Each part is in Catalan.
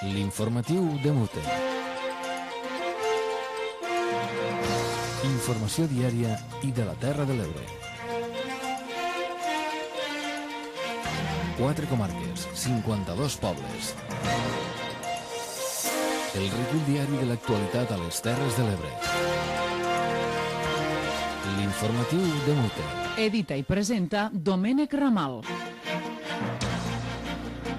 L'informatiu de Mute. Informació diària i de la Terra de l'Ebre. 4 comarques, 52 pobles. El recull diari de l'actualitat a les Terres de l'Ebre. L'informatiu de Mute. Edita i presenta Domènec Ramal.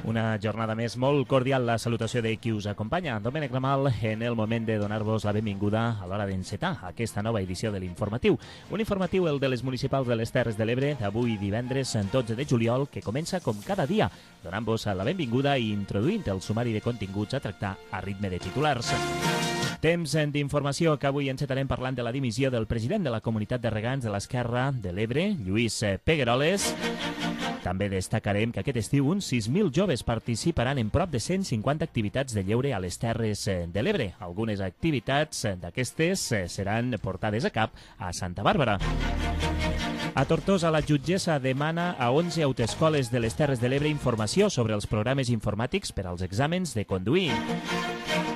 Una jornada més molt cordial, la salutació de qui us acompanya. Domènec Ramal, en el moment de donar-vos la benvinguda a l'hora d'encetar aquesta nova edició de l'informatiu. Un informatiu, el de les municipals de les Terres de l'Ebre, d'avui divendres 12 de juliol, que comença com cada dia, donant-vos la benvinguda i introduint el sumari de continguts a tractar a ritme de titulars. Temps d'informació que avui encetarem parlant de la dimissió del president de la Comunitat de Regants de l'Esquerra de l'Ebre, Lluís Pegueroles. També destacarem que aquest estiu uns 6.000 joves participaran en prop de 150 activitats de lleure a les Terres de l'Ebre. Algunes activitats d'aquestes seran portades a cap a Santa Bàrbara. A Tortosa, la jutgessa demana a 11 autoescoles de les Terres de l'Ebre informació sobre els programes informàtics per als exàmens de conduir.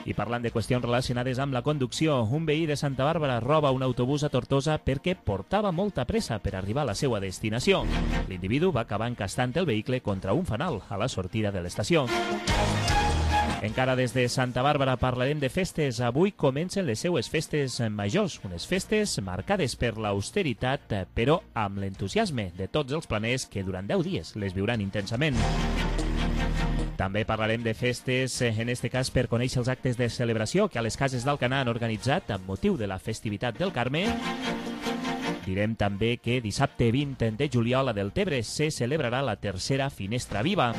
I parlant de qüestions relacionades amb la conducció, un veí de Santa Bàrbara roba un autobús a Tortosa perquè portava molta pressa per arribar a la seva destinació. L'individu va acabar encastant el vehicle contra un fanal a la sortida de l'estació. Encara des de Santa Bàrbara parlarem de festes. Avui comencen les seues festes majors, unes festes marcades per l'austeritat, però amb l'entusiasme de tots els planers que durant 10 dies les viuran intensament. També parlarem de festes, en este cas per conèixer els actes de celebració que a les cases d'Alcanar han organitzat amb motiu de la festivitat del Carme. Direm també que dissabte 20 de juliol a Deltebre se celebrarà la tercera Finestra Viva.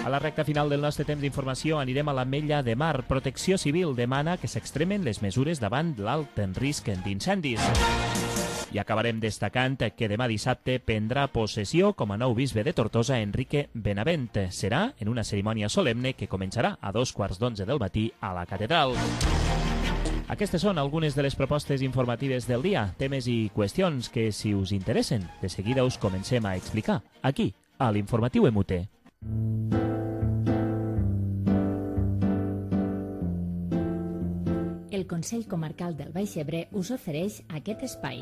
A la recta final del nostre temps d'informació anirem a l'Ametlla de Mar. Protecció Civil demana que s'extremen les mesures davant l'alt risc d'incendis. I acabarem destacant que demà dissabte prendrà possessió com a nou bisbe de Tortosa Enrique Benavent. Serà en una cerimònia solemne que començarà a 11:15 del matí a la catedral. Aquestes són algunes de les propostes informatives del dia, temes i qüestions que, si us interessen, de seguida us comencem a explicar aquí, a l'Informatiu MUT. El Consell Comarcal del Baix Ebre us ofereix aquest espai.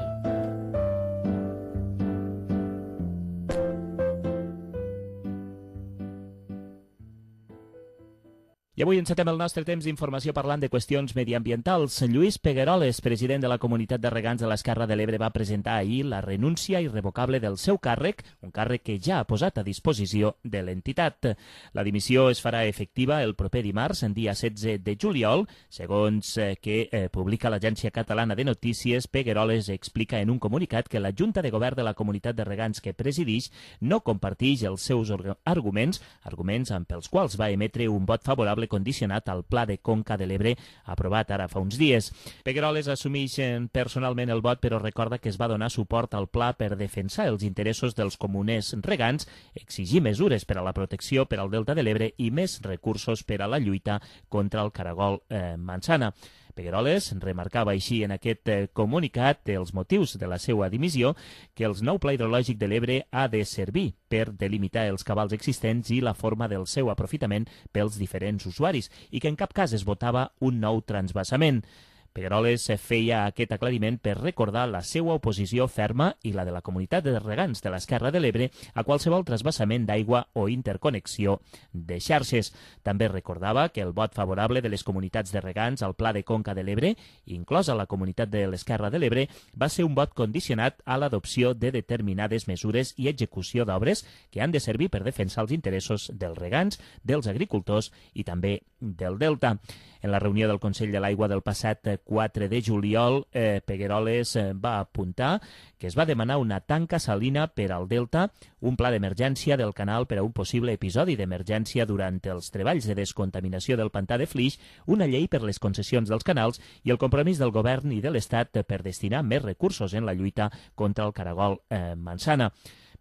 I avui encetem el nostre temps d'informació parlant de qüestions mediambientals. Lluís Pegueroles, president de la Comunitat de Regants de l'Esquerra de l'Ebre, va presentar ahir la renúncia irrevocable del seu càrrec, un càrrec que ja ha posat a disposició de l'entitat. La dimissió es farà efectiva el proper dimarts, en dia 16 de juliol. Segons que publica l'Agència Catalana de Notícies, Pegueroles explica en un comunicat que la Junta de Govern de la Comunitat de Regants que presideix no comparteix els seus arguments amb els quals va emetre un vot favorable condicionat al Pla de Conca de l'Ebre aprovat ara fa uns dies. Pegueroles assumeix personalment el vot, però recorda que es va donar suport al pla per defensar els interessos dels comuners regants, exigir mesures per a la protecció per al Delta de l'Ebre i més recursos per a la lluita contra el caragol manzana. Pegueroles remarcava així en aquest comunicat els motius de la seva dimissió, que el nou pla hidrològic de l'Ebre ha de servir per delimitar els cabals existents i la forma del seu aprofitament pels diferents usuaris i que en cap cas es votava un nou transvasament. Pegueroles feia aquest aclariment per recordar la seva oposició ferma i la de la Comunitat de Regants de l'Esquerra de l'Ebre a qualsevol trasbassament d'aigua o interconnexió de xarxes. També recordava que el vot favorable de les comunitats de regants al Pla de Conca de l'Ebre, inclosa la Comunitat de l'Esquerra de l'Ebre, va ser un vot condicionat a l'adopció de determinades mesures i execució d'obres que han de servir per defensar els interessos dels regants, dels agricultors i també del Delta. En la reunió del Consell de l'Aigua del passat 4 de juliol, Pegueroles va apuntar que es va demanar una tanca salina per al Delta, un pla d'emergència del canal per a un possible episodi d'emergència durant els treballs de descontaminació del pantà de Flix, una llei per les concessions dels canals i el compromís del govern i de l'Estat per destinar més recursos en la lluita contra el caragol manzana.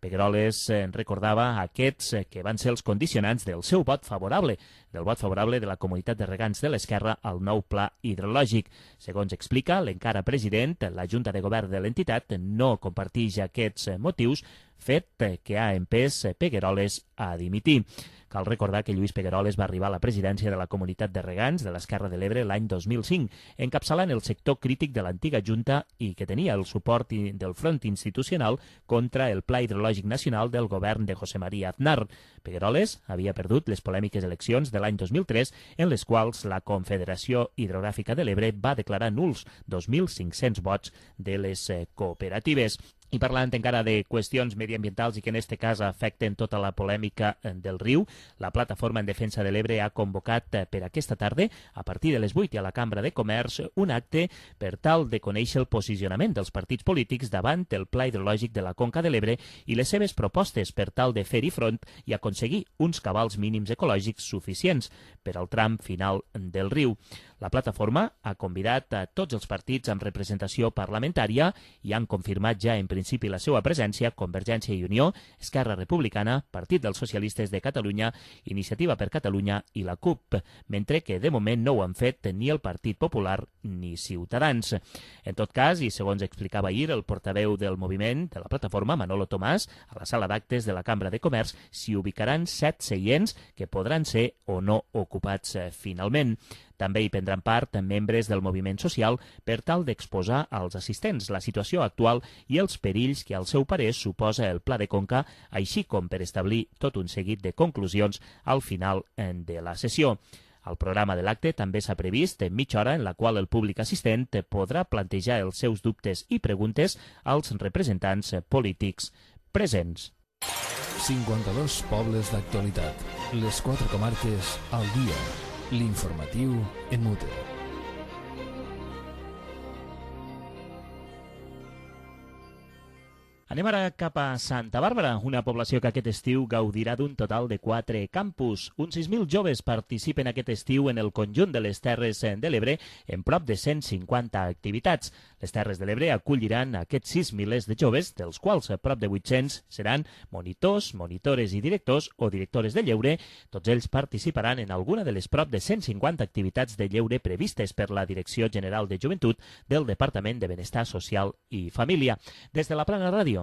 Pegueroles recordava aquests que van ser els condicionants del seu vot favorable, del vot favorable de la Comunitat de Regants de l'Esquerra al nou pla hidrològic. Segons explica l'encara president, la Junta de Govern de l'entitat no comparteix aquests motius, fet que ha empès Pegueroles a dimitir. Cal recordar que Lluís Pegueroles va arribar a la presidència de la Comunitat de Regants de l'Esquerra de l'Ebre l'any 2005, encapçalant el sector crític de l'antiga Junta i que tenia el suport del front institucional contra el Pla Hidrològic Nacional del govern de José María Aznar. Pegueroles havia perdut les polèmiques eleccions de l'any 2003, en les quals la Confederació Hidrogràfica de l'Ebre va declarar nuls 2.500 vots de les cooperatives. I parlant encara de qüestions mediambientals i que en aquest cas afecten tota la polèmica del riu, la Plataforma en Defensa de l'Ebre ha convocat per aquesta tarda, a partir de les 8 a la Cambra de Comerç, un acte per tal de conèixer el posicionament dels partits polítics davant el Pla Hidrològic de la Conca de l'Ebre i les seves propostes per tal de fer-hi front i aconseguir uns cabals mínims ecològics suficients per al tram final del riu. La plataforma ha convidat a tots els partits amb representació parlamentària i han confirmat ja en principi la seva presència Convergència i Unió, Esquerra Republicana, Partit dels Socialistes de Catalunya, Iniciativa per Catalunya i la CUP, mentre que de moment no ho han fet ni el Partit Popular ni Ciutadans. En tot cas, i segons explicava ahir el portaveu del moviment de la plataforma, Manolo Tomàs, a la sala d'actes de la Cambra de Comerç s'hi ubicaran 7 seients que podran ser o no ocupats finalment. També hi prendran part membres del moviment social per tal d'exposar als assistents la situació actual i els perills que al seu parer suposa el Pla de Conca, així com per establir tot un seguit de conclusions al final de la sessió. Al programa de l'acte també s'ha previst mitja hora en la qual el públic assistent podrà plantejar els seus dubtes i preguntes als representants polítics presents. 52 pobles d'actualitat. Les 4 comarques al dia. L'informatiu en mute. Anem ara cap a Santa Bàrbara, una població que aquest estiu gaudirà d'un total de 4 campus. Uns 6.000 joves participen aquest estiu en el conjunt de les Terres de l'Ebre en prop de 150 activitats. Les Terres de l'Ebre acolliran aquests 6 milers de joves, dels quals prop de 800 seran monitors, monitores i directors o directores de lleure. Tots ells participaran en alguna de les prop de 150 activitats de lleure previstes per la Direcció General de Joventut del Departament de Benestar Social i Família. Des de la Plana Ràdio,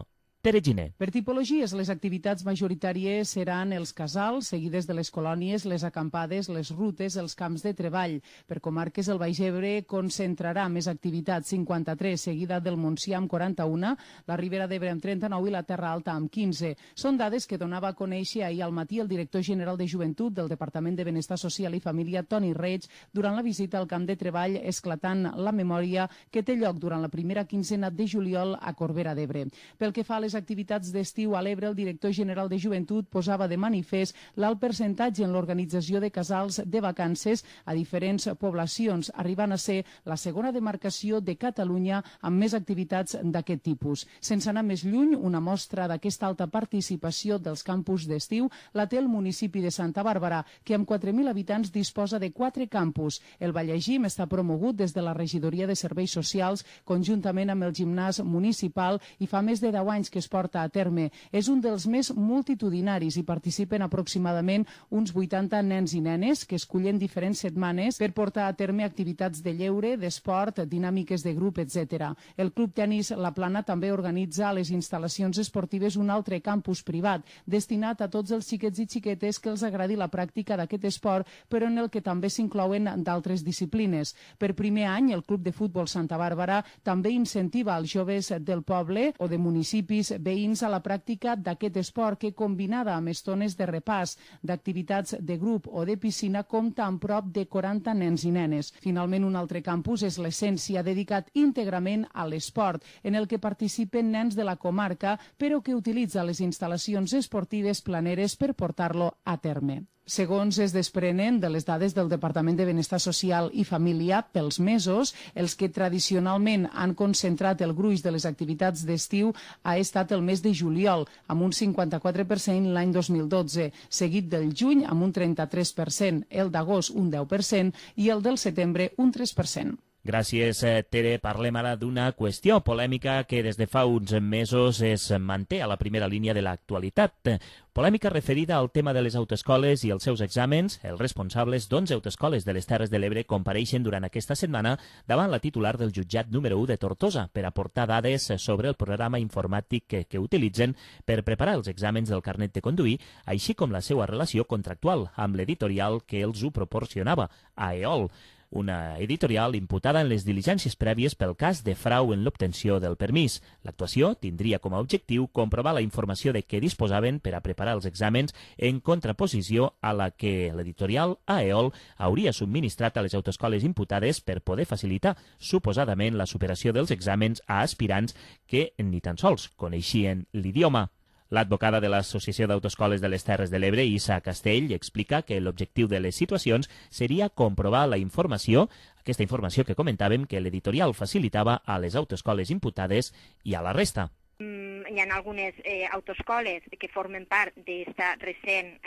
Tere Giner. Per tipologies, les activitats majoritàries seran els casals, seguides de les colònies, les acampades, les rutes, els camps de treball. Per comarques, el Baix Ebre concentrarà més activitats, 53, seguida del Montsià amb 41, la Ribera d'Ebre amb 39 i la Terra Alta amb 15. Són dades que donava a conèixer ahir al matí el director general de Joventut del Departament de Benestar Social i Família, Toni Reig, durant la visita al camp de treball esclatant la memòria que té lloc durant la primera quinzena de juliol a Corbera d'Ebre. Pel que fa a les activitats d'estiu a l'Ebre, el director general de Joventut posava de manifest l'alt percentatge en l'organització de casals de vacances a diferents poblacions, arribant a ser la segona demarcació de Catalunya amb més activitats d'aquest tipus. Sense anar més lluny, una mostra d'aquesta alta participació dels campus d'estiu la té el municipi de Santa Bàrbara, que amb 4.000 habitants disposa de 4 campus. El Vallègim està promogut des de la Regidoria de Serveis Socials conjuntament amb el gimnàs municipal i fa més de 10 anys que es porta a terme. És un dels més multitudinaris i participen aproximadament uns 80 nens i nenes que escullen diferents setmanes per portar a terme activitats de lleure, d'esport, dinàmiques de grup, etc. El Club Tenis La Plana també organitza a les instal·lacions esportives un altre campus privat destinat a tots els xiquets i xiquetes que els agradi la pràctica d'aquest esport, però en el que també s'inclouen d'altres disciplines. Per primer any, el Club de Futbol Santa Bàrbara també incentiva els joves del poble o de municipis veïns a la pràctica d'aquest esport que, combinada amb estones de repàs, d'activitats de grup o de piscina, compta amb prop de 40 nens i nenes. Finalment, un altre campus és l'Essència, dedicat íntegrament a l'esport, en el que participen nens de la comarca, però que utilitza les instal·lacions esportives planeres per portar-lo a terme. Segons es desprenen de les dades del Departament de Benestar Social i Família, pels mesos, els que tradicionalment han concentrat el gruix de les activitats d'estiu ha estat el mes de juliol, amb un 54% l'any 2012, seguit del juny amb un 33%, el d'agost un 10% i el del setembre un 3%. Gràcies, Tere. Parlem ara d'una qüestió polèmica que des de fa uns mesos es manté a la primera línia de l'actualitat. Polèmica referida al tema de les autoescoles i els seus exàmens. Els responsables d'11 autoescoles de les Terres de l'Ebre compareixen durant aquesta setmana davant la titular del jutjat número 1 de Tortosa per aportar dades sobre el programa informàtic que utilitzen per preparar els exàmens del carnet de conduir, així com la seva relació contractual amb l'editorial que els ho proporcionava, AEOL, una editorial imputada en les diligències prèvies pel cas de frau en l'obtenció del permís. L'actuació tindria com a objectiu comprovar la informació de què disposaven per a preparar els exàmens en contraposició a la que l'editorial AEOL hauria subministrat a les autoescoles imputades per poder facilitar suposadament la superació dels exàmens a aspirants que ni tan sols coneixien l'idioma. L'advocada de l'Associació d'Autoescoles de les Terres de l'Ebre, Isa Castell, explica que l'objectiu de les situacions seria comprovar la informació, aquesta informació que comentàvem que l'editorial facilitava a les autoescoles imputades i a la resta. Hi ha algunes autoescoles que formen part d'esta recent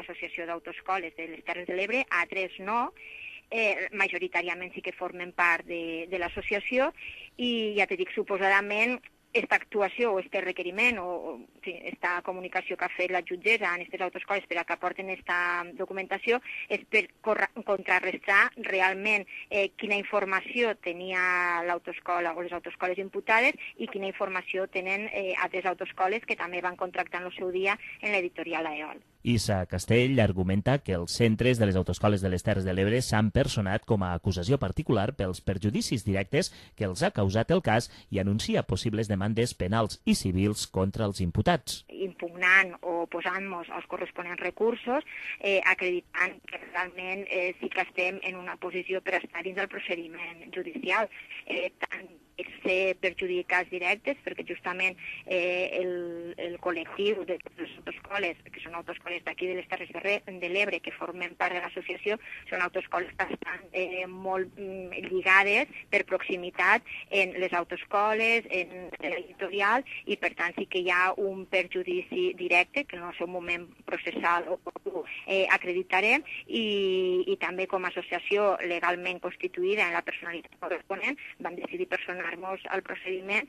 Associació d'Autoescoles de les Terres de l'Ebre, altres no, majoritàriament sí que formen part de l'associació i ja te dic, suposadament, esta actuació o este requeriment o esta comunicació que ha fet la jutgessa en aquestes autoescoles per a que aporten esta documentació és per contrarrestar realment quina informació tenia l'autoescola o les autoescoles imputades i quina informació tenen altres autoescoles que també van contractar en el seu dia en l'editorial AEOL. Isa Castell argumenta que els centres de les autoescoles de les Terres de l'Ebre s'han personat com a acusació particular pels perjudicis directes que els ha causat el cas i anuncia possibles demandes penals i civils contra els imputats. Impugnant o posant-nos els corresponents recursos, acreditant que realment sí que estem en una posició per estar dins del procediment judicial, tant ser perjudicats directes, perquè justament el col·lectiu de les autoescoles, que són autoescoles d'aquí de les Terres de l'Ebre, que formen part de l'associació, són autoescoles que estan molt lligades per proximitat en les autoescoles, en l'editorial, i per tant sí que hi ha un perjudici directe, que en el seu moment processal acreditarem, i també com a associació legalment constituïda en la personalitat corresponent, vam decidir personar-nos al procediment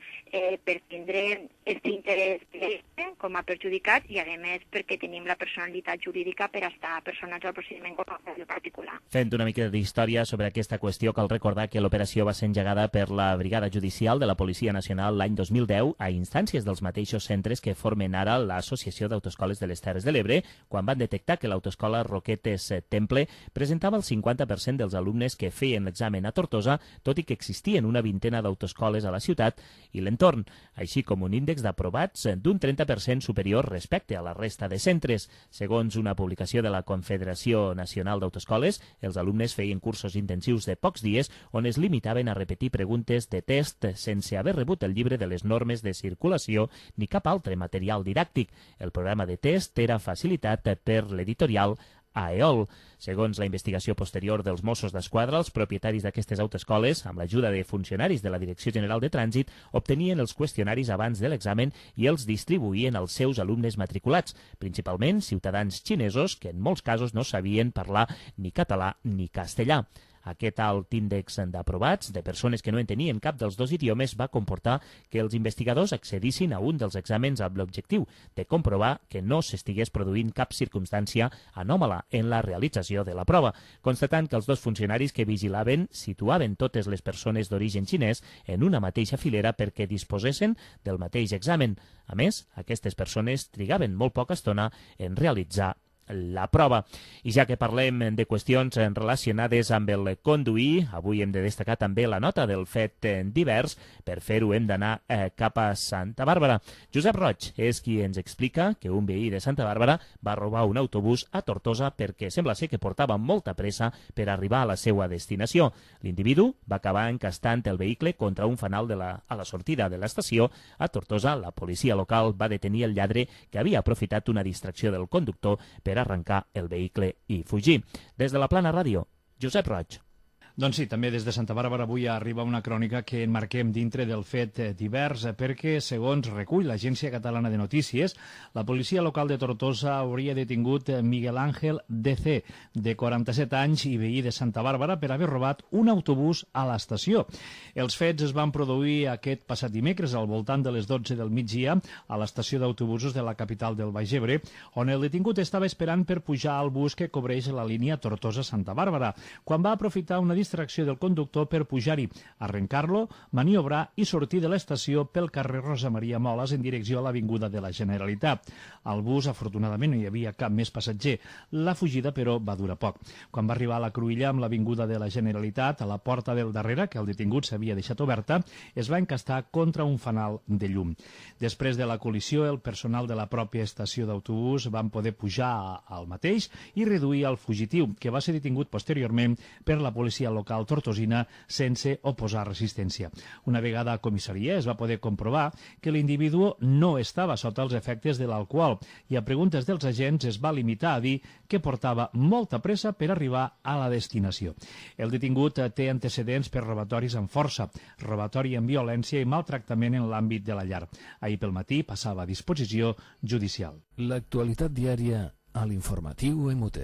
per tindre aquest interès directe com a perjudicat i, a més, perquè tenim la personalitat jurídica per estar personats al procediment com a particular. Fent una mica d'història sobre aquesta qüestió, cal recordar que l'operació va ser engegada per la Brigada Judicial de la Policia Nacional l'any 2010 a instàncies dels mateixos centres que formen ara l'Associació d'Autoescoles de les Terres de l'Ebre, quan van detectar que l'autoescola Roquetes Temple presentava el 50% dels alumnes que feien l'examen a Tortosa, tot i que existien una vintena d'autoescoles a la ciutat i l'entorn, així com un índex d'aprovats d'un 30% superior respecte a la resta de centres. Segons una publicació de la Confederació Nacional d'Autoescoles, els alumnes feien cursos intensius de pocs dies on es limitaven a repetir preguntes de test sense haver rebut el llibre de les normes de circulació ni cap altre material didàctic. El programa de test era facilitat per l'editorial AEOL. Segons la investigació posterior dels Mossos d'Esquadra, els propietaris d'aquestes autoescoles, amb l'ajuda de funcionaris de la Direcció General de Trànsit, obtenien els qüestionaris abans de l'examen i els distribuïen als seus alumnes matriculats, principalment ciutadans xinesos que en molts casos no sabien parlar ni català ni castellà. Aquest alt índex d'aprovats de persones que no entenien cap dels dos idiomes va comportar que els investigadors accedissin a un dels exàmens amb l'objectiu de comprovar que no s'estigués produint cap circumstància anòmala en la realització de la prova, constatant que els dos funcionaris que vigilaven situaven totes les persones d'origen xinès en una mateixa filera perquè disposessin del mateix examen. A més, aquestes persones trigaven molt poca estona en realitzar la prova. I ja que parlem de qüestions relacionades amb el conduir, avui hem de destacar també la nota del fet divers. Per fer-ho hem d'anar cap a Santa Bàrbara. Josep Roig és qui ens explica que un veí de Santa Bàrbara va robar un autobús a Tortosa perquè sembla ser que portava molta pressa per arribar a la seva destinació. L'individu va acabar encastant el vehicle contra un fanal a la sortida de l'estació. A Tortosa, la policia local va detenir el lladre que havia aprofitat una distracció del conductor per arrencar el vehicle i fugir. Des de la Plana Ràdio, Josep Roig. Doncs sí, també des de Santa Bàrbara avui arriba una crònica que enmarquem dintre del fet divers, perquè, segons recull l'Agència Catalana de Notícies, la policia local de Tortosa hauria detingut Miguel Ángel DC, de 47 anys i veí de Santa Bàrbara, per haver robat un autobús a l'estació. Els fets es van produir aquest passat dimecres al voltant de les 12 del migdia a l'estació d'autobusos de la capital del Baix Ebre, on el detingut estava esperant per pujar al bus que cobreix la línia Tortosa-Santa Bàrbara, quan va aprofitar una distracció del conductor per pujar-hi, arrencar-lo, maniobrar i sortir de l'estació pel carrer Rosa Maria Moles en direcció a l'Avinguda de la Generalitat. Al bus, afortunadament, no hi havia cap més passatger. La fugida, però, va durar poc. Quan va arribar a la cruïlla amb l'Avinguda de la Generalitat, a la porta del darrere, que el detingut s'havia deixat oberta, es va encastar contra un fanal de llum. Després de la col·lisió, el personal de la pròpia estació d'autobús van poder pujar al mateix i reduir el fugitiu, que va ser detingut posteriorment per la policia local tortosina sense oposar resistència. Una vegada a comissaria es va poder comprovar que l'individu no estava sota els efectes de l'alcohol i a preguntes dels agents es va limitar a dir que portava molta pressa per arribar a la destinació. El detingut té antecedents per robatoris amb força, robatori amb violència i maltractament en l'àmbit de la llar. Ahir pel matí passava a disposició judicial. L'actualitat diària a l'informatiu MUT.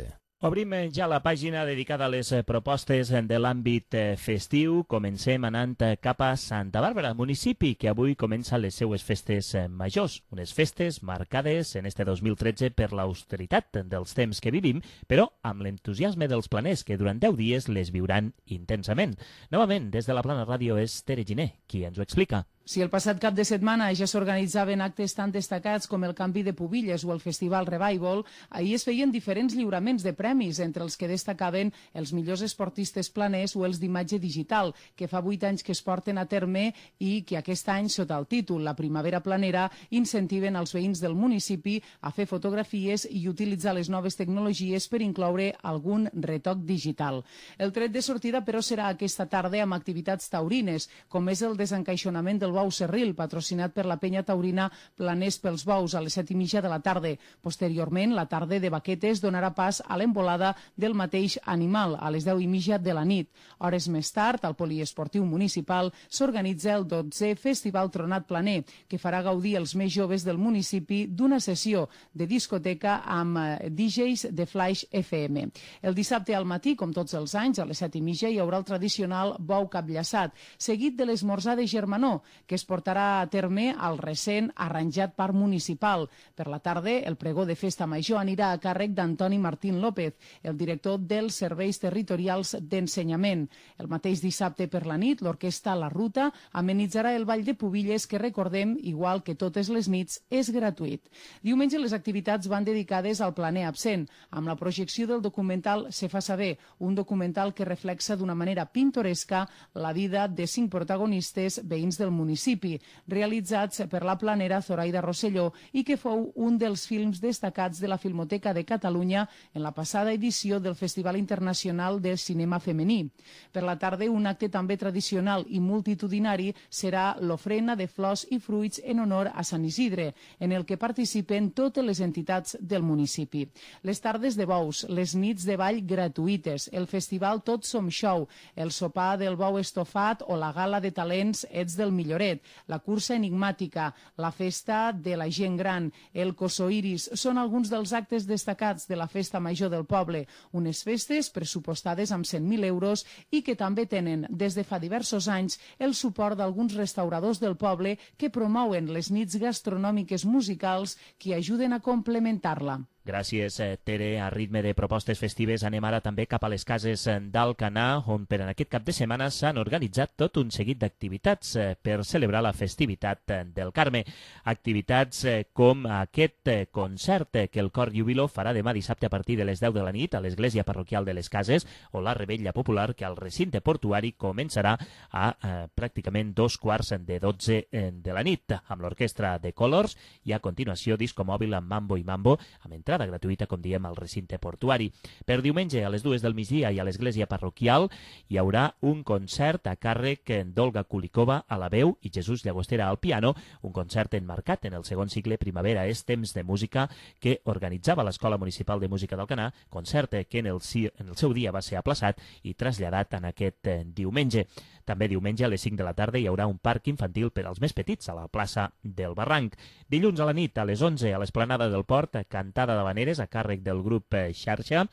Obrim ja la pàgina dedicada a les propostes de l'àmbit festiu. Comencem anant cap a Santa Bàrbara, municipi que avui comença les seues festes majors. Unes festes marcades en este 2013 per l'austeritat dels temps que vivim, però amb l'entusiasme dels planers que durant 10 dies les viuran intensament. Novament, des de la Plana Ràdio és Tere Giner, qui ens ho explica. Si el passat cap de setmana ja s'organitzaven actes tan destacats com el canvi de pubilles o el Festival Revival, ahir es feien diferents lliuraments de premis, entre els que destacaven els millors esportistes planers o els d'imatge digital, que fa 8 anys que es porten a terme i que aquest any, sota el títol La Primavera Planera, incentiven els veïns del municipi a fer fotografies i utilitzar les noves tecnologies per incloure algun retoc digital. El tret de sortida, però, serà aquesta tarda amb activitats taurines, com és el desencaixonament del bou Serril, patrocinat per la penya taurina Planers pels Bous, a les 7:30 de la tarda. Posteriorment, la tarda de baquetes donarà pas a l'embolada del mateix animal, a les 10:30 de la nit. Hores més tard, al poliesportiu municipal, s'organitza el 12è Festival Tronat Planer, que farà gaudir els més joves del municipi d'una sessió de discoteca amb DJs de Flash FM. El dissabte al matí, com tots els anys, a les 7:30 hi haurà el tradicional bou capllaçat, seguit de l'esmorzar de germanor, que es portarà a terme al recent arranjat parc municipal. Per la tarda, el pregó de festa major anirà a càrrec d'Antoni Martín López, el director dels Serveis Territorials d'Ensenyament. El mateix dissabte per la nit, l'orquestra La Ruta amenitzarà el ball de pubilles que, recordem, igual que totes les nits, és gratuït. Diumenge les activitats van dedicades al planer absent, amb la projecció del documental Se fa saber, un documental que reflexa d'una manera pintoresca la vida de 5 protagonistes veïns del municipi, realitzats per la planera Zoraida Rosselló i que fou un dels films destacats de la Filmoteca de Catalunya en la passada edició del Festival Internacional de Cinema Femení. Per la tarda, un acte també tradicional i multitudinari serà l'ofrena de flors i fruits en honor a Sant Isidre, en el que participen totes les entitats del municipi. Les tardes de bous, les nits de ball gratuïtes, el festival Tots som show, el sopar del bou estofat o la gala de talents Ets del Milloret, la cursa enigmàtica, la festa de la gent gran, el Cosoiris, són alguns dels actes destacats de la festa major del poble, unes festes pressupostades amb 100.000 euros i que també tenen, des de fa diversos anys, el suport d'alguns restauradors del poble que promouen les nits gastronòmiques musicals que ajuden a complementar-la. Gràcies, Tere. A ritme de propostes festives anem ara també cap a les cases d'Alcanar, on per en aquest cap de setmana s'han organitzat tot un seguit d'activitats per celebrar la festivitat del Carme. Activitats com aquest concert que el Cor Júbilo farà demà dissabte a partir de les 10 de la nit a l'Església Parroquial de les Cases, o la Revetlla Popular que al recinte portuari començarà a pràcticament 2:15 de la nit, amb l'orquestra de Colors, i a continuació disco mòbil amb Mambo i Mambo, amb entrada entrada gratuïta, com diem, al recinte portuari. Per diumenge, a les 2 del migdia i a l'església parroquial, hi haurà un concert a càrrec d'Olga Kulikova a la veu i Jesús Llagostera al piano, un concert enmarcat en el segon cicle Primavera és temps de música que organitzava l'Escola Municipal de Música d'Alcanar, concert que en el seu dia va ser aplaçat i traslladat en aquest diumenge. També diumenge a les 5 de la tarda hi haurà un parc infantil per als més petits a la plaça del Barranc. Dilluns a la nit, a les 11, a l'Esplanada del Port, cantada d'habaneres a càrrec del grup Xarxa.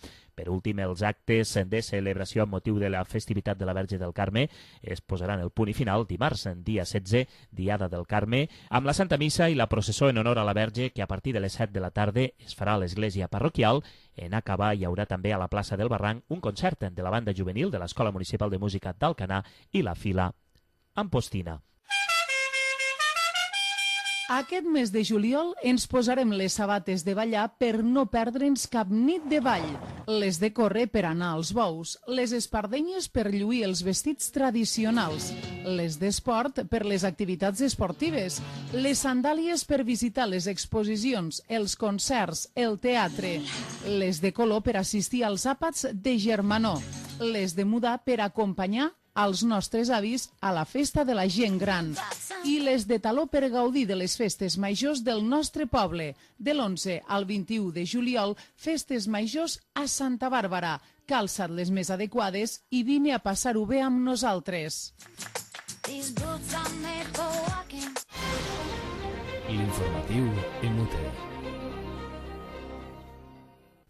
Per últim, els actes de celebració amb motiu de la festivitat de la Verge del Carme es posaran el punt i final dimarts, dia 16, Diada del Carme, amb la Santa Missa i la processó en honor a la Verge, que a partir de les 7 de la tarda es farà a l'església parroquial. En acabar hi haurà també a la plaça del Barranc un concert de la banda juvenil de l'Escola Municipal de Música d'Alcanar i la Fila Ampostina. Aquest mes de juliol ens posarem les sabates de ballar per no perdre'ns cap nit de ball, les de córrer per anar als bous, les espardenyes per lluir els vestits tradicionals, les d'esport per les activitats esportives, les sandàlies per visitar les exposicions, els concerts, el teatre, les de color per assistir als àpats de germanor, les de mudar per acompanyar als nostres avis a la festa de la gent gran i les de taló per gaudir de les festes majors del nostre poble. De l'11 al 21 de juliol, festes majors a Santa Bàrbara. Calça't les més adequades i vine a passar-ho bé amb nosaltres. L'informatiu en UTE.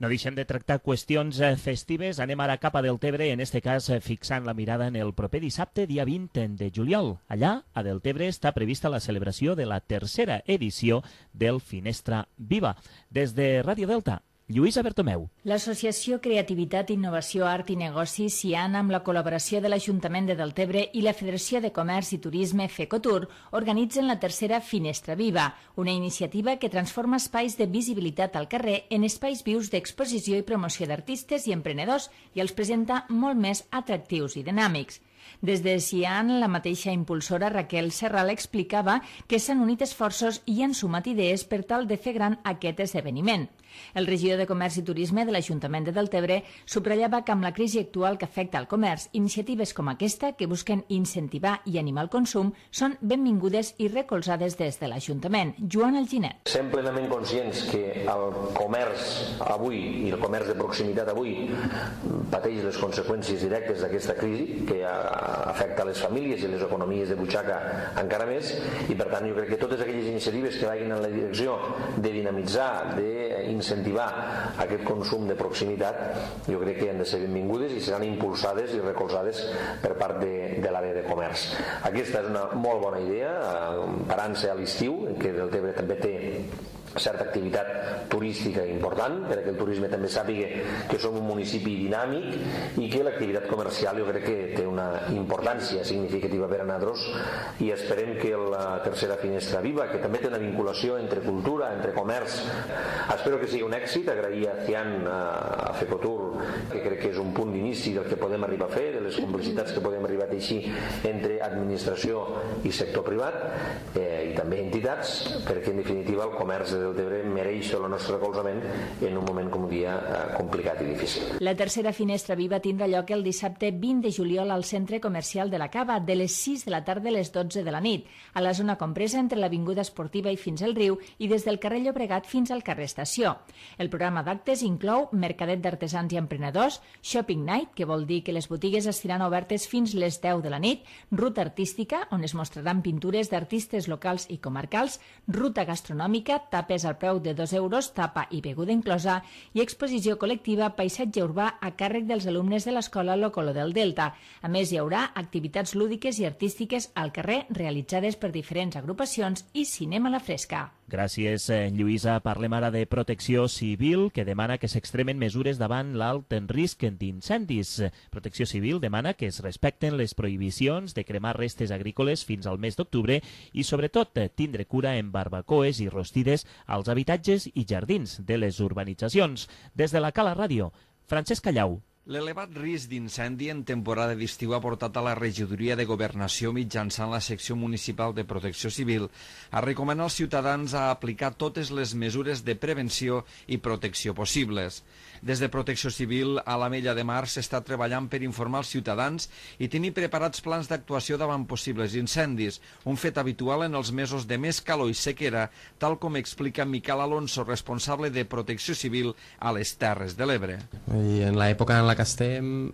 No deixem de tractar qüestions festives. Anem ara cap a Deltebre, en este cas fixant la mirada en el proper dissabte, dia 20 de juliol. Allà, a Deltebre, està prevista la celebració de la tercera edició del Finestra Viva. Des de Ràdio Delta, Lluïsa Bertomeu. L'Associació Creativitat, Innovació, Art i Negocis, CIAN, amb la col·laboració de l'Ajuntament de Deltebre i la Federació de Comerç i Turisme, FECOTUR, organitzen la tercera Finestra Viva, una iniciativa que transforma espais de visibilitat al carrer en espais vius d'exposició i promoció d'artistes i emprenedors i els presenta molt més atractius i dinàmics. Des de CIAN, la mateixa impulsora Raquel Serral explicava que s'han unit esforços i han sumat idees per tal de fer gran aquest esdeveniment. El regidor de Comerç i Turisme de l'Ajuntament de Deltebre subratllava que amb la crisi actual que afecta al comerç, iniciatives com aquesta, que busquen incentivar i animar el consum, són benvingudes i recolzades des de l'Ajuntament. Joan Alginet. Sent plenament conscients que el comerç avui i el comerç de proximitat avui pateix les conseqüències directes d'aquesta crisi que afecta les famílies i les economies de butxaca encara més, i per tant jo crec que totes aquelles iniciatives que vagin en la direcció de dinamitzar, d'incentivar aquest consum de proximitat, jo crec que han de ser benvingudes i seran impulsades i recolzades per part de l'àrea de comerç. Aquesta és una molt bona idea, parant-se a l'estiu, que Deltebre també té certa activitat turística important, perquè el turisme també sàpiga que som un municipi dinàmic i que l'activitat comercial jo crec que té una importància significativa per a nosaltres, i esperem que la tercera Finestra Viva, que també té una vinculació entre cultura, entre comerç, espero que sigui un èxit. Agrair a CIAN, a FECOTUR, que crec que és un punt d'inici del que podem arribar a fer, de les complicitats que podem arribar a teixir entre administració i sector privat i també entitats, perquè en definitiva el comerç de Deltebre mereix el nostre recolzament en un moment, com dia, complicat i difícil. La tercera Finestra Viva tindrà lloc el dissabte 20 de juliol al Centre Comercial de la Cava, de les 6 de la tarda a les 12 de la nit, a la zona compresa entre l'Avinguda Esportiva i fins al riu i des del carrer Llobregat fins al carrer Estació. El programa d'actes inclou mercadet d'artesans i emprenedors, shopping night, que vol dir que les botigues estaran obertes fins les 10 de la nit, ruta artística, on es mostraran pintures d'artistes locals i comarcals, ruta gastronòmica, tapes al preu de 2 euros, tapa i beguda inclosa, i exposició col·lectiva Paisatge Urbà a càrrec dels alumnes de l'Escola Locolo del Delta. A més, hi haurà activitats lúdiques i artístiques al carrer realitzades per diferents agrupacions i cinema a la fresca. Gràcies, Lluïsa. Parlem ara de Protecció Civil, que demana que s'extremen mesures davant l'alt risc d'incendis. Protecció Civil demana que es respecten les prohibicions de cremar restes agrícoles fins al mes d'octubre i, sobretot, tindre cura en barbacoes i rostides als habitatges i jardins de les urbanitzacions. Des de la Cala Ràdio, Francesc Callau. L'elevat risc d'incendi en temporada d'estiu ha portat a la regidoria de Governació mitjançant la secció municipal de Protecció Civil a recomanar als ciutadans a aplicar totes les mesures de prevenció i protecció possibles. Des de Protecció Civil a l'Ametlla de Mar s'està treballant per informar als ciutadans i tenir preparats plans d'actuació davant possibles incendis, un fet habitual en els mesos de més calor i sequera, tal com explica Miquel Alonso, responsable de Protecció Civil a les Terres de l'Ebre. I en l'època en la que estem,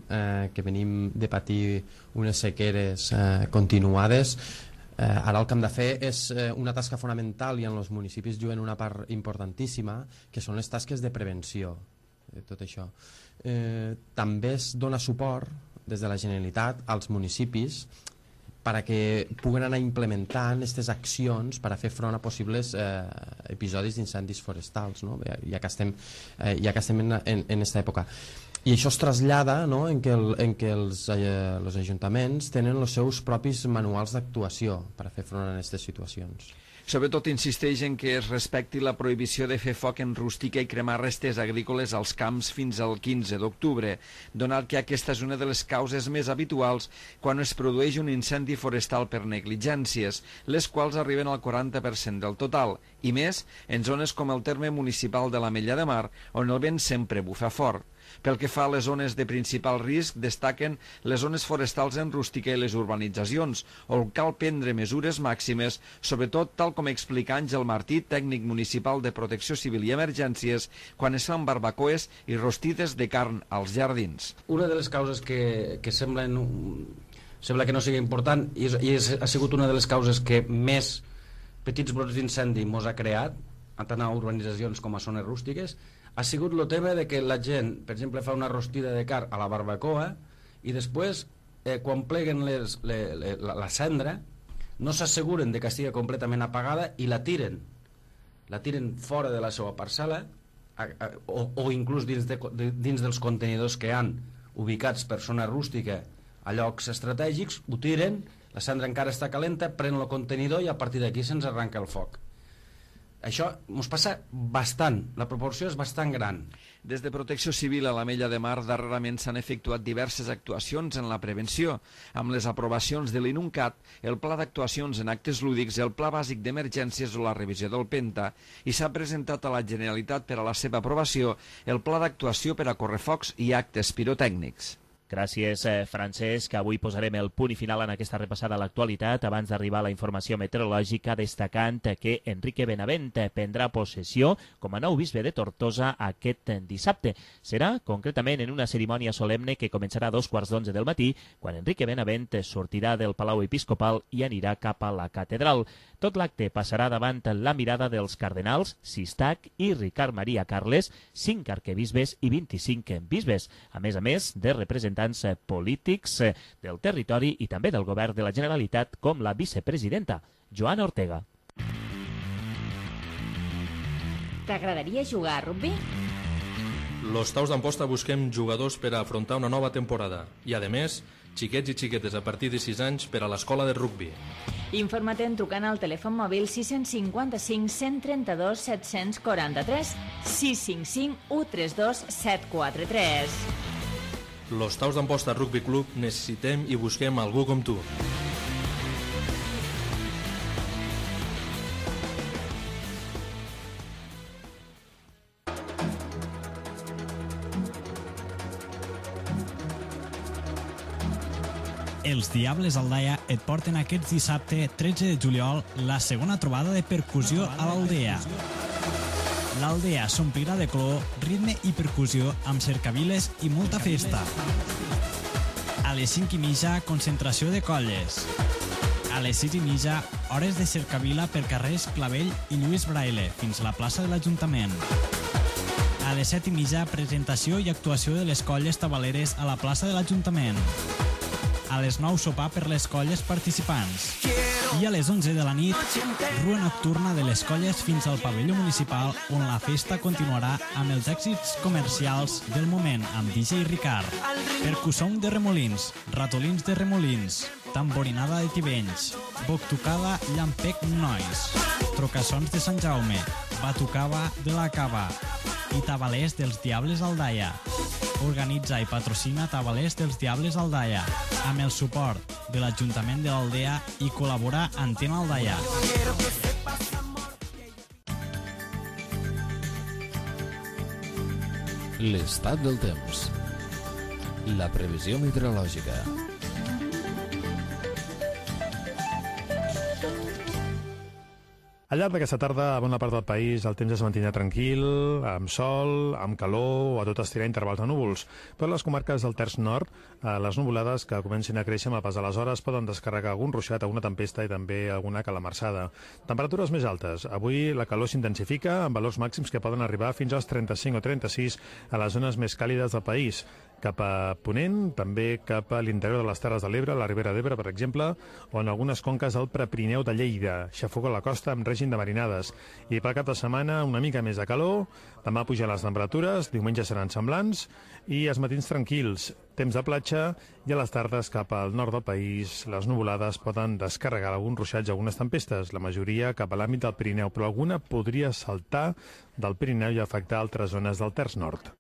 que venim de patir unes sequeres continuades, ara el que hem de fer és una tasca fonamental i en els municipis juguen una part importantíssima, que són les tasques de prevenció de tot això. També es dona suport des de la Generalitat als municipis perquè puguen anar implementant aquestes accions per a fer front a possibles episodis d'incendis forestals, no? ja que estem en aquesta època. I això es trasllada, no? en què els ajuntaments tenen els seus propis manuals d'actuació per a fer front a aquestes situacions. Sobretot insisteix en que es respecti la prohibició de fer foc en rústica i cremar restes agrícoles als camps fins al 15 d'octubre, donat que aquesta és una de les causes més habituals quan es produeix un incendi forestal per negligències, les quals arriben al 40% del total, i més en zones com el terme municipal de l'Ametlla de Mar, on el vent sempre bufa fort. Pel que fa a les zones de principal risc, destaquen les zones forestals en rústica i les urbanitzacions, on cal prendre mesures màximes, sobretot tal com explica Àngel Martí, tècnic municipal de Protecció Civil i Emergències, quan es fan barbacoes i rostides de carn als jardins. Una de les causes que sembla que no sigui important i ha sigut una de les causes que més petits brots d'incendi mos ha creat, tant a urbanitzacions com a zones rústiques, ha sigut el tema de que la gent, per exemple, fa una rostida de carn a la barbacoa i després, quan pleguen la cendra, no s'asseguren de que estigui completament apagada i la tiren fora de la seva parcel·la o inclús dins dels contenidors que han ubicats per zona rústica a llocs estratègics, ho tiren, la cendra encara està calenta, pren el contenidor i a partir d'aquí se'ns arranca el foc. Això ens passa bastant, la proporció és bastant gran. Des de Protecció Civil a l'Ametlla de Mar darrerament s'han efectuat diverses actuacions en la prevenció, amb les aprovacions de l'INUNCAT, el Pla d'Actuacions en Actes Lúdics, el Pla Bàsic d'Emergències o la revisió del PENTA, i s'ha presentat a la Generalitat per a la seva aprovació el Pla d'Actuació per a correfocs i actes pirotècnics. Gràcies, Francesc. Avui posarem el punt i final en aquesta repassada a l'actualitat abans d'arribar a la informació meteorològica, destacant que Enrique Benavent prendrà possessió com a nou bisbe de Tortosa aquest dissabte. Serà concretament en una cerimònia solemne que començarà a 2:15 del matí, quan Enrique Benavent sortirà del Palau Episcopal i anirà cap a la catedral. Tot l'acte passarà davant la mirada dels cardenals Sistac i Ricard Maria Carles, 5 arquebisbes i 25 bisbes, a més de representants polítics del territori i també del govern de la Generalitat, com la vicepresidenta Joana Ortega. T'agradaria jugar a rugby? Los Taus d'Amposta busquem jugadors per a afrontar una nova temporada i, a més, xiquets i xiquetes a partir de 6 anys per a l'escola de rugby. Informa't trucant al telèfon mòbil 655 132 743 655 132 743. Los Taus d'Amposta Rugby Club necessitem i busquem algú com tu. Els Diables Aldaia et porten aquest dissabte 13 de juliol la segona trobada de percussió a l'Aldea. L'Aldea s'omplirà de color, ritme i percussió amb cercaviles i molta festa. A les 5:30, concentració de colles. A les 6:30, hores de cercavila per carrers Clavell i Lluís Braille fins a la plaça de l'Ajuntament. A les 7:30, presentació i actuació de les colles tabaleres a la plaça de l'Ajuntament. A les 9, sopar per les colles participants. I a les 11 de la nit, rua nocturna de les colles fins al pavelló municipal, on la festa continuarà amb els èxits comercials del moment amb DJ Ricard. Percussón de Remolins, ratolins de Remolins, tamborinada de Tivenys, boctucada Llampec Nois, trocassons de Sant Jaume, batucava de la Cava i tabalers dels Diables Aldaia. organitza i patrocina Tabalers dels Diables Aldaia, amb el suport de l'Ajuntament de l'Aldea i col·labora Antena Aldaia. L'estat del temps. La previsió meteorològica. Al llarg d'aquesta tarda, a bona part del país, el temps es mantindrà tranquil, amb sol, amb calor o a tot estirar intervals de núvols. Per les comarques del terç nord, les nuvolades que comencin a créixer amb el pas de les hores poden descarregar algun ruixat, alguna tempesta i també alguna calamarsada. Temperatures més altes. Avui la calor s'intensifica amb valors màxims que poden arribar fins als 35 o 36 a les zones més càlides del país. Cap a Ponent, també cap a l'interior de les Terres de l'Ebre, la Ribera d'Ebre, per exemple, o en algunes conques del Prepirineu de Lleida, xafogó a la costa amb règim de marinades. I pel cap de setmana una mica més de calor, demà pugen les temperatures, diumenge seran semblants i els matins tranquils, temps de platja i a les tardes cap al nord del país les nuvolades poden descarregar alguns ruixats i algunes tempestes, la majoria cap a l'àmbit del Pirineu, però alguna podria saltar del Pirineu i afectar altres zones del terç nord.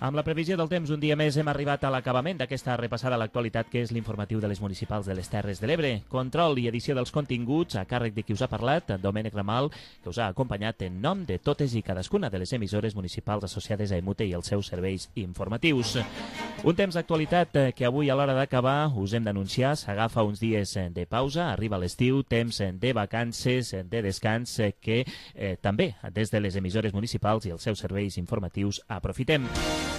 Amb la previsió del temps, un dia més hem arribat a l'acabament d'aquesta repassada a l'actualitat que és l'informatiu de les municipals de les Terres de l'Ebre. Control i edició dels continguts a càrrec de qui us ha parlat, Domènec Ramal, que us ha acompanyat en nom de totes i cadascuna de les emissores municipals associades a EMUTE i els seus serveis informatius. Un temps d'actualitat que avui a l'hora d'acabar us hem d'anunciar, s'agafa uns dies de pausa, arriba l'estiu, temps de vacances, de descans que també des de les emissores municipals i els seus serveis informatius aprofitem.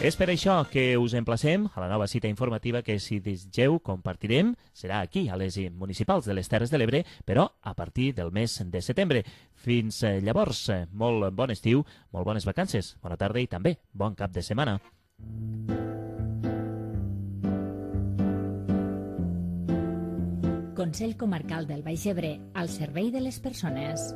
És per això que us emplacem a la nova cita informativa que, si desitgeu, compartirem. Serà aquí, a les municipals de les Terres de l'Ebre, però a partir del mes de setembre. Fins llavors, molt bon estiu, molt bones vacances, bona tarda i també bon cap de setmana. Consell Comarcal del Baix Ebre, al servei de les persones.